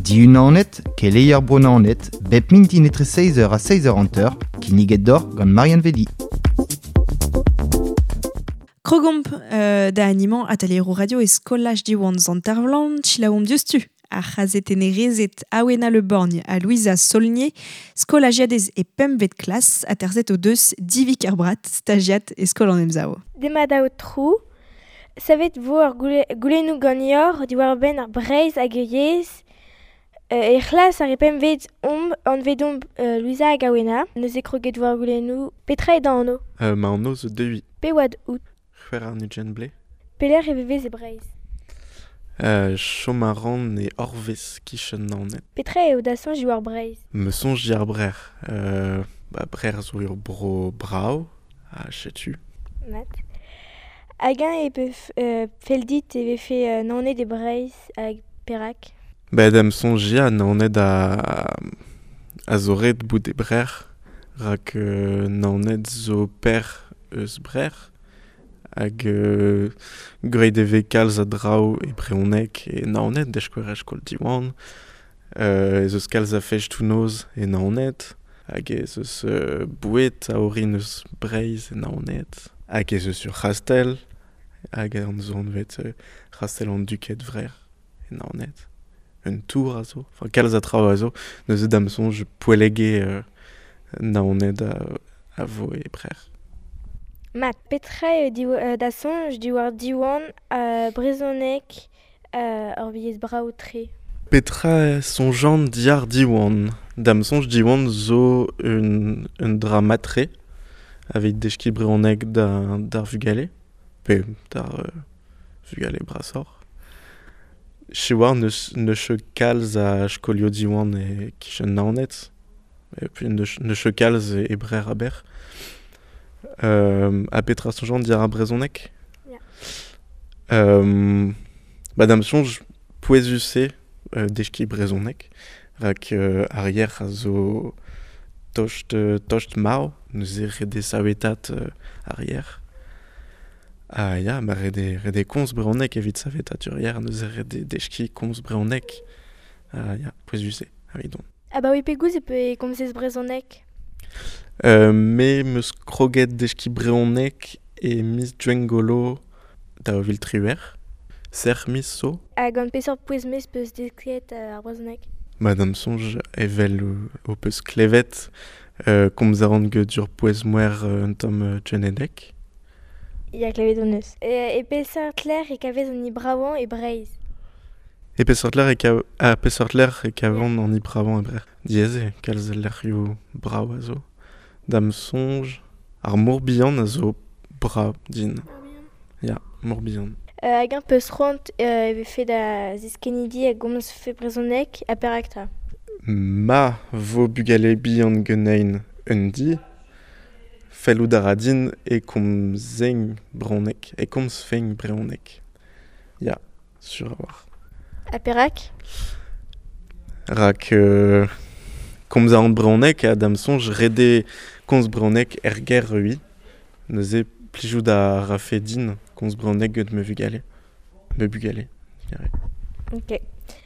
Diunanet, keleier Bro-Naoned, bep mintin etre 6h ha 6h50, kinniget deoc'h gant Marianne Vedi. Krogomp euh, da animañ atalier radio e skolaj Diwan Sant-Ervlan, selaouomp diouzhtu ar c'hazetennerezed Awena Le Borgne ha Louisa Saulnier, skolajiadez e pempvet klas, aterset o deus Divi Kerbrat, stajiad e skol an Emsav. Demat aotrou, savet vo ar goulennoù ganeoc'h diwar-benn ar Breizh hag e yezh. E c'hlas ar pempvet omp anvet omp Louisa hag Awena. Neuze kroget vo ar goulennoù. Petra eo da anv? Ma anv zo Dewi. Pe oad out? C'hwec'h warn-ugent vloaz. Pelec'h e vevez e Breizh? Chom a ran e Orvez 'kichen Naoned. Petra eo da soñj diwar Breizh? Ma soñj diwar Brec'h. Ba Brec'h zo ur bro brav ha setu. Mat. Hag-eñ e peuf fell dit e vefe Naoned e Breizh hag perak? Bet em soñj ya, Naoned a zo ret bout e Brec'h rak Naoned zo perzh eus Brec'h hag graet e vez kalz a draoù e brezhoneg e Naoned, da skouer er skol Diwan. Ez eus kalz a festoù-noz e Naoned hag ez eus boued a orin eus Breizh e Naoned hag ez eus ur c'hastell hag an zo anvet c'hastell an Duked Vrec'h e Naoned. Un tour a zo, enfin kalz a traoù a zo. Neuze da'm soñj poellege Naoned a vo e Brec'h. Mat, petra eo da soñj diwar Diwan brezhoneg ur yezh brav-tre? Petra soñjan diàr Diwan? Da'm soñj Diwan zo un, un dra mat-tre aveit deskiñ brezhoneg d'ar vugale, pe d'ar vugale brasoc'h. Siwazh n'eus n'eus ket kalz a skolioù Diwan e-kichen Naoned, et puis n'eus n'eus ket kalz e Brec'h aber. Ha petra soñjan diàr ar brezhoneg? Ya. Ba da'm soñj pouezus eo deskiñ brezhoneg rak ar yer a zo tost tost marv, neuze ret eo savetat ar yer. Ha ya, ma ret eo ret eo komz brezhoneg evit savetat ur yer, neuze ret eo deskiñ komz brezhoneg. Ha ya, pouezus eo evidon. Abaoe pegoulz e komzez brezhoneg? Me 'm eus kroget deskiñ brezhoneg e miz Gwengolo 2018. Serc'h miz zo. Ha gant peseurt pouez-mouezh 'peus desket ar brezhoneg? Ma da'm soñj evel ho peus klevet, komz a ran get ur pouez-mouezh un tamm genedek. Ya, klevet hon eus. E peseurt lec'h e kavez an bravañ e Breizh? E peseurt lec'h e kav a peseurt lec'h e kavan an bravañ e Breizh? Diaes eo kalz lec'hioù brav a zo. Da'm soñj, ar Mor-Bihan a zo brav din. Ya, Mor-Bihan. Hag-eñ 'peus c'hoant e vefe da zeskennidi a gomzfe brezhoneg ha perak 'ta? Ma vo bugale bihan ganin un di, fellout a ra din e komzein brezhoneg, e komzfen brezhoneg. Ya, sur a-walc'h. Ha perak? Rak komz a ran brezhoneg ha da'm soñj ret eo komz brezhoneg er gêr ivez. Neuze plijout a rafe din komz brezhoneg gant ma vugale. Ma bugale, digarez. Ok.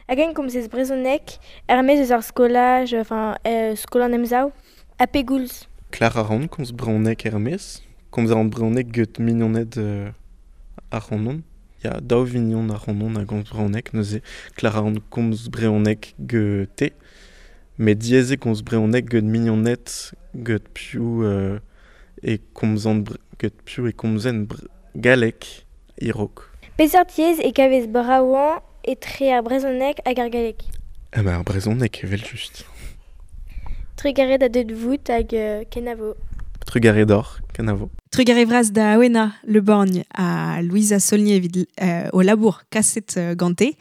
Hag eñ komzez brezhoneg er-maez eus ar skolaj, enfin skol an Emsav? Ha pegoulz? Klar a ran komz brezhoneg er-maez. Komz a ran brezhoneg get mignoned ac'hanon. Ya, daou vignon ac'hanon a gomz brezhoneg neuze. Klar a ran komz brezhoneg gete. Met diaes eo komz brezhoneg get mignoned get piv e komzan get piv e komzen galleg e-raok. Peseurt yezh e kavez bravañ etre ar brezhoneg hag ar galleg? Ah bah ar brezhoneg evel-just. Trugarez da deuet vout hag kenavo. Trugarez deoc'h, kenavo. Trugarez vras da Awena Le Borgne ha Louisa Saulnier evit o labour kaset gante.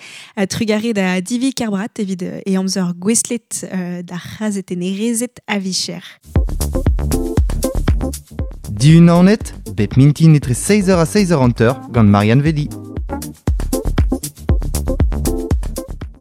Trugarez da Divi Kerbrat evit e amzer gouestlet d'ar c'hazetennerezed a vicher. Diunanet, bep mintin etre 6h ha 6h50 gant Marianne Vedi.